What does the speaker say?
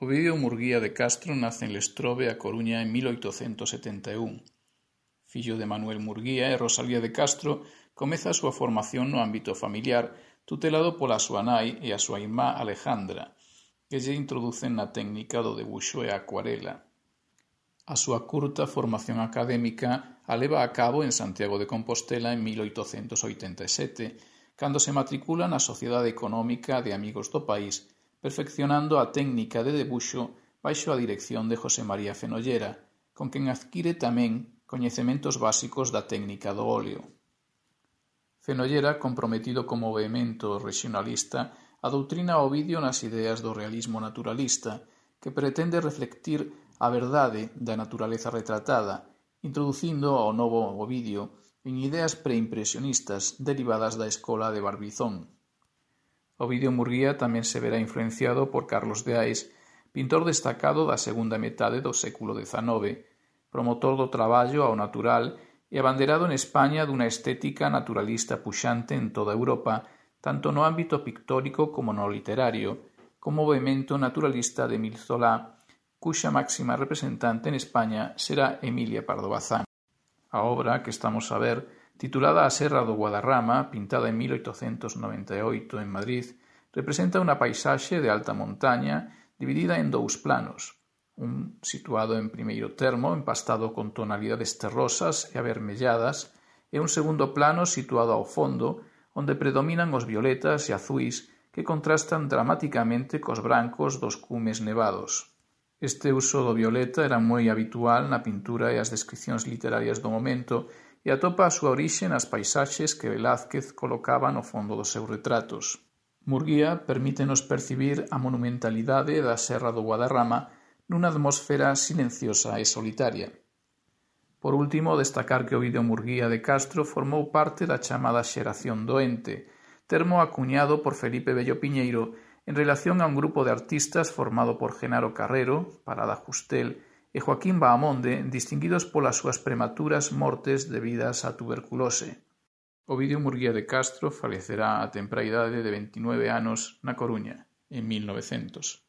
Ovidio Murguía de Castro nace en Lestrobe, a Coruña, en 1871. Fillo de Manuel Murguía e Rosalía de Castro, comeza a súa formación no ámbito familiar, tutelado pola súa nai e a súa irmá Alejandra, que lle introducen na técnica do debuxo e a acuarela. A súa curta formación académica a leva a cabo en Santiago de Compostela en 1887, cando se matricula na Sociedade Económica de Amigos do País, perfeccionando a técnica de debuxo baixo a dirección de José María Fenollera, con quen adquire tamén coñecementos básicos da técnica do óleo. Fenollera, comprometido co movemento regionalista, adoutrina a Ovidio nas ideas do realismo naturalista, que pretende reflectir a verdade da naturaleza retratada, introducindo ao novo Ovidio en ideas preimpresionistas derivadas da escola de Barbizón. Ovidio Murguía tamén se verá influenciado por Carlos de Ais, pintor destacado da segunda metade do século XIX, promotor do traballo ao natural e abanderado en España dunha estética naturalista puxante en toda Europa, tanto no ámbito pictórico como no literario, co movemento naturalista de Émile Zola, cuxa máxima representante en España será Emilia Pardo Bazán. A obra que estamos a ver, titulada A Serra do Guadarrama, pintada en 1898 en Madrid, representa unha paisaxe de alta montaña dividida en dous planos, un situado en primeiro termo, empastado con tonalidades terrosas e avermelladas, e un segundo plano situado ao fondo, onde predominan os violetas e azuis que contrastan dramaticamente cos brancos dos cumes nevados. Este uso do violeta era moi habitual na pintura e as descricións literarias do momento e atopa a súa orixe nas paisaxes que Velázquez colocaba no fondo dos seus retratos. Murguía permítenos percibir a monumentalidade da Serra do Guadarrama nunha atmosfera silenciosa e solitaria. Por último, destacar que Ovidio Murguía de Castro formou parte da chamada xeración do Ente, termo acuñado por Felipe Bello Piñeiro en relación a un grupo de artistas formado por Genaro Carrero, Parada Justel e Joaquín Bahamonde, distinguidos polas súas prematuras mortes debidas á tuberculose. Ovidio Murguía de Castro falecerá a temprá idade de 29 anos na Coruña, en 1900.